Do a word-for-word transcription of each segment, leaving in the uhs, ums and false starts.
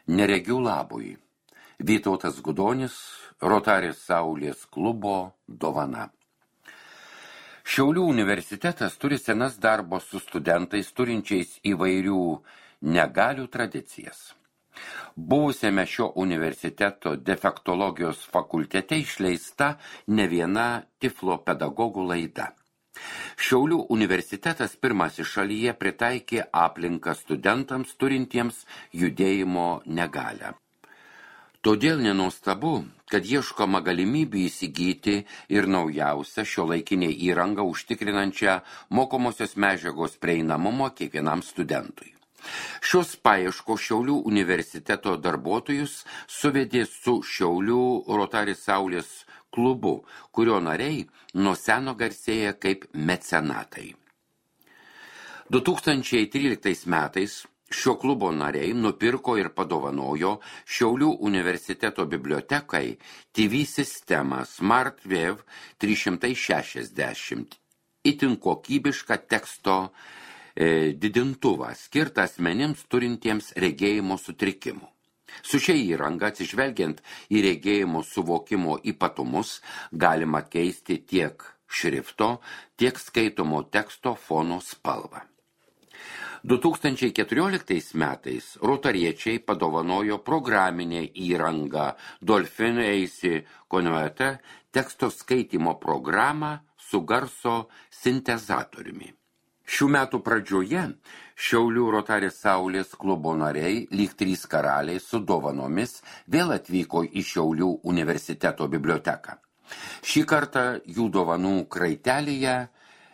Neregių labui. Vytautas Gudonis, Rotaris Saulės klubo dovana. Šiaulių universitetas turi senas darbo su studentais turinčiais įvairių negalių tradicijas. Buvusiame šio universiteto defektologijos fakultete išleista ne viena tiflopedagogų laida. Šiaulių universitetas pirmasis šalyje pritaikė aplinką studentams turintiems judėjimo negalią. Todėl nenuostabu, kad ieškoma galimybių įsigyti ir naujausią šiuolaikinę įrangą užtikrinančią mokomosios medžiagos prieinamumą kiekvienam studentui. Šios paieškos Šiaulių universiteto darbuotojus suvedė su Šiaulių Rotaris Saulės klubu, kurio nariai nuo seno garsėja kaip mecenatai. du tūkstančiai tryliktais metais šio klubo nariai nupirko ir padovanojo Šiaulių universiteto bibliotekai T V sistemą SmartWev trys šimtai šešiasdešimt, itin kokybišką teksto e, didintuvą, skirtą asmenims turintiems regėjimo sutrikimų. Su šia įranga, atsižvelgiant į regėjimo suvokimo ypatumus, galima keisti tiek šrifto, tiek skaitomo teksto fono spalvą. du tūkstančiai keturioliktais metais rotariečiai padovanojo programinę įrangą Dolphin A C Converter teksto skaitymo programą su garso sintezatoriumi. Šių metų pradžioje Šiaulių Rotaris Saulės klubo nariai, lyg trys karaliai su dovanomis, vėl atvyko į Šiaulių universiteto biblioteką. Šį kartą jų dovanų kraitelėje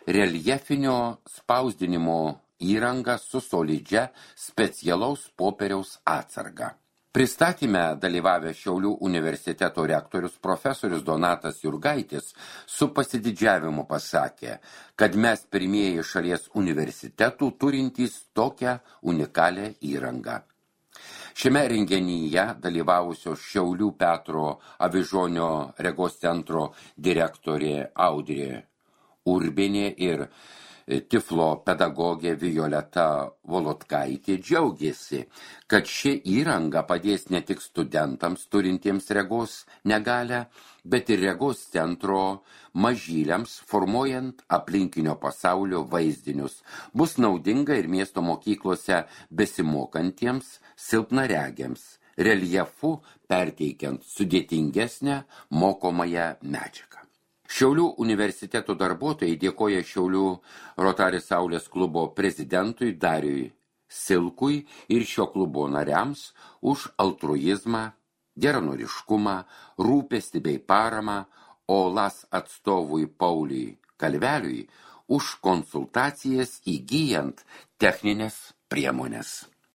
reljefinio spausdinimo įranga su solidžia specialaus popieriaus atsarga. Pristatyme dalyvavę Šiaulių universiteto rektorius profesorius Donatas Jurgaitis su pasididžiavimu pasakė, kad mes pirmieji šalies universitetų turintys tokią unikalią įrangą. Šiame renginyje dalyvavusios Šiaulių Petro Avižonio regos centro direktorė Audrė Urbienė ir tiflo pedagogė Violeta Volodkaitė džiaugiasi, kad ši įranga padės ne tik studentams turintiems regos negalią, bet ir regos centro mažyliams, formuojant aplinkinio pasaulio vaizdinius. Bus naudinga ir miesto mokyklose besimokantiems silpnaregiams, reljefu perteikiant sudėtingesnę mokomąją medžiagą. Šiaulių universiteto darbuotojai dėkoja Šiaulių Rotaris Saulės klubo prezidentui Dariui Silkui ir šio klubo nariams už altruizmą, geranoriškumą, rūpestį bei paramą, o LAS atstovui Pauliui Kalveliui už konsultacijas įgyjant techninės priemonės.